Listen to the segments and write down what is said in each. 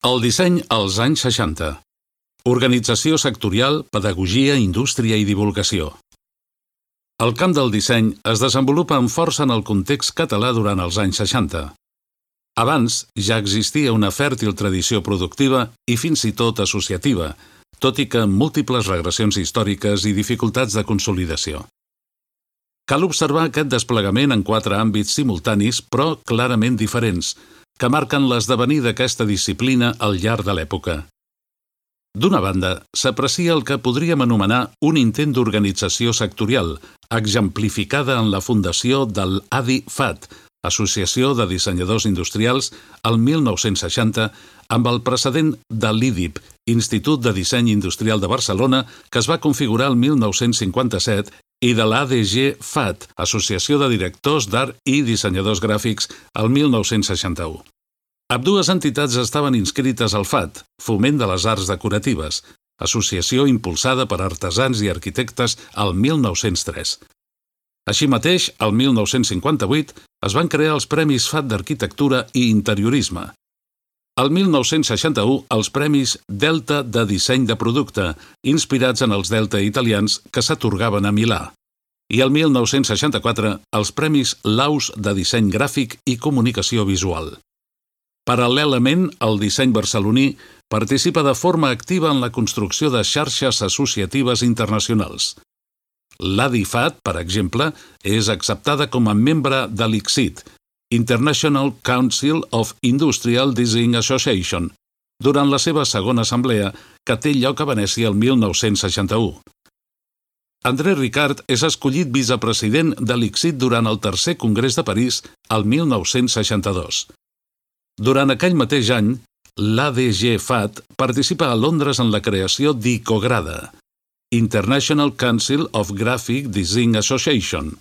El disseny als anys 60. Organització sectorial, pedagogia, indústria i divulgació. El camp del disseny es desenvolupa amb força en el context català durant els anys 60. Abans ja existia una fèrtil tradició productiva i fins i tot associativa, tot i que amb múltiples regressions històriques i dificultats de consolidació. Cal observar aquest desplegament en 4 àmbits simultanis, però clarament diferents, que marquen l'esdevenir d'aquesta disciplina al llarg de l'època. D'una banda, s'aprecia el que podríem anomenar un intent d'organització sectorial, exemplificada en la fundació del ADI-FAT, Associació de Dissenyadors Industrials, el 1960, amb el precedent de l'IDIB, Institut de Disseny Industrial de Barcelona, que es va configurar el 1957, i de l'ADG-FAT, Associació de Directors d'Art i Dissenyadors Gràfics, el 1961. Ambdues entitats estaven inscrites al FAT, Foment de les Arts Decoratives, associació impulsada per artesans i arquitectes el 1903. Així mateix, el 1958, es van crear els Premis FAT d'Arquitectura i Interiorisme. El 1961, els Premis Delta de Disseny de Producte, inspirats en els Delta italians que s'atorgaven a Milà. I el 1964, els Premis Laus de Disseny Gràfic i Comunicació Visual. Paral·lelament, el disseny barceloní participa de forma activa en la construcció de xarxes associatives internacionals. L'ADI-FAT, per exemple, és acceptada com a membre de l'ICSID, International Council of Industrial Design Association, durant la seva segona assemblea, que té lloc a Venècia el 1961. André Ricard és escollit vicepresident de l'ICSID durant el tercer Congrés de París el 1962. Durant aquell mateix any, l'ADG-FAT participa a Londres en la creació d'ICOGRADA, International Council of Graphic Design Association.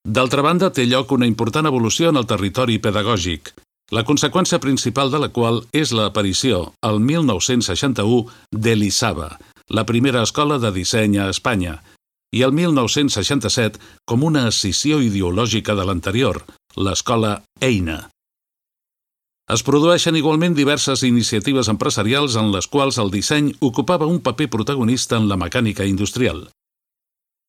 D'altra banda, té lloc una important evolució en el territori pedagògic, la conseqüència principal de la qual és l'aparició, el 1961, de l'ISABA, la primera escola de disseny a Espanya, i el 1967 com una escissió ideològica de l'anterior, l'escola EINA. Es produeixen igualment diverses iniciatives empresarials en les quals el disseny ocupava un paper protagonista en la mecànica industrial.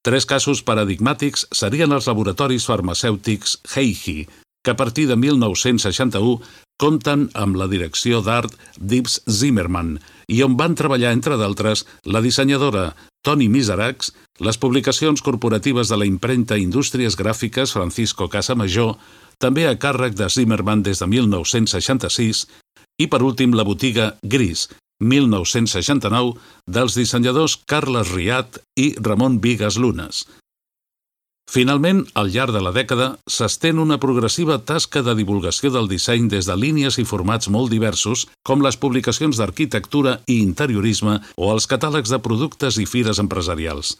3 casos paradigmàtics serien els laboratoris farmacèutics Heihi, que a partir de 1961 compten amb la direcció d'art d'Yves Zimmermann i on van treballar, entre d'altres, la dissenyadora Toni Miseracs, les publicacions corporatives de la impremta Indústries Gràfiques Francisco Casamajó, també a càrrec de Zimmermann des de 1966, i per últim la botiga Gris, 1969, dels dissenyadors Carles Riat i Ramon Vigas Lunas. Finalment, al llarg de la dècada, s'estén una progressiva tasca de divulgació del disseny des de línies i formats molt diversos, com les publicacions d'arquitectura i interiorisme o els catàlegs de productes i fires empresarials.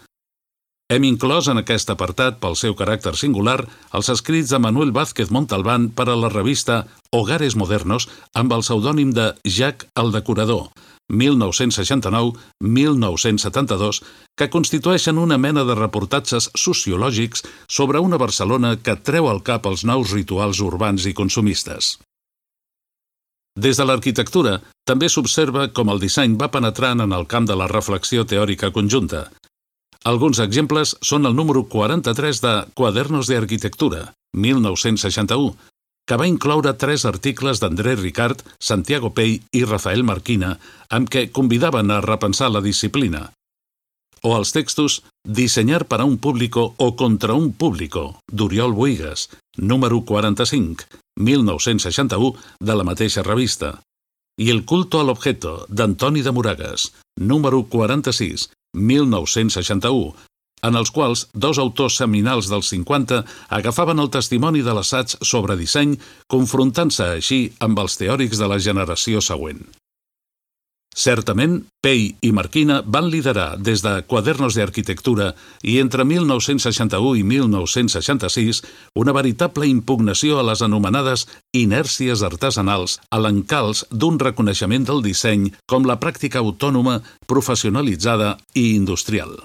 Hem inclòs en aquest apartat, pel seu caràcter singular, els escrits de Manuel Vázquez Montalbán per a la revista Hogares Modernos amb el pseudònim de Jack el Decorador, 1969-1972, que constitueixen una mena de reportatges sociològics sobre una Barcelona que treu al cap els nous rituals urbans i consumistes. Des de l'arquitectura, també s'observa com el disseny va penetrant en el camp de la reflexió teòrica conjunta. Alguns exemples són el número 43 de Quadernos de Arquitectura, 1961, que va incloure 3 articles d'André Ricard, Santiago Pey i Rafael Marquina, amb què convidaven a repensar la disciplina. O els textos Diseñar para un público o contra un público, d'Oriol Bohigas, número 45, 1961, de la mateixa revista. I El culto al objeto, d'Antoni de Moragas, número 46, 1961, en els quals 2 autors seminals dels 50 agafaven el testimoni de l'assaig sobre disseny, confrontant-se així amb els teòrics de la generació següent. Certament, Pey i Marquina van liderar des de Quadernos de Arquitectura i entre 1961 i 1966 una veritable impugnació a les anomenades inèrcies artesanals a l'encalç d'un reconeixement del disseny com la pràctica autònoma, professionalitzada i industrial.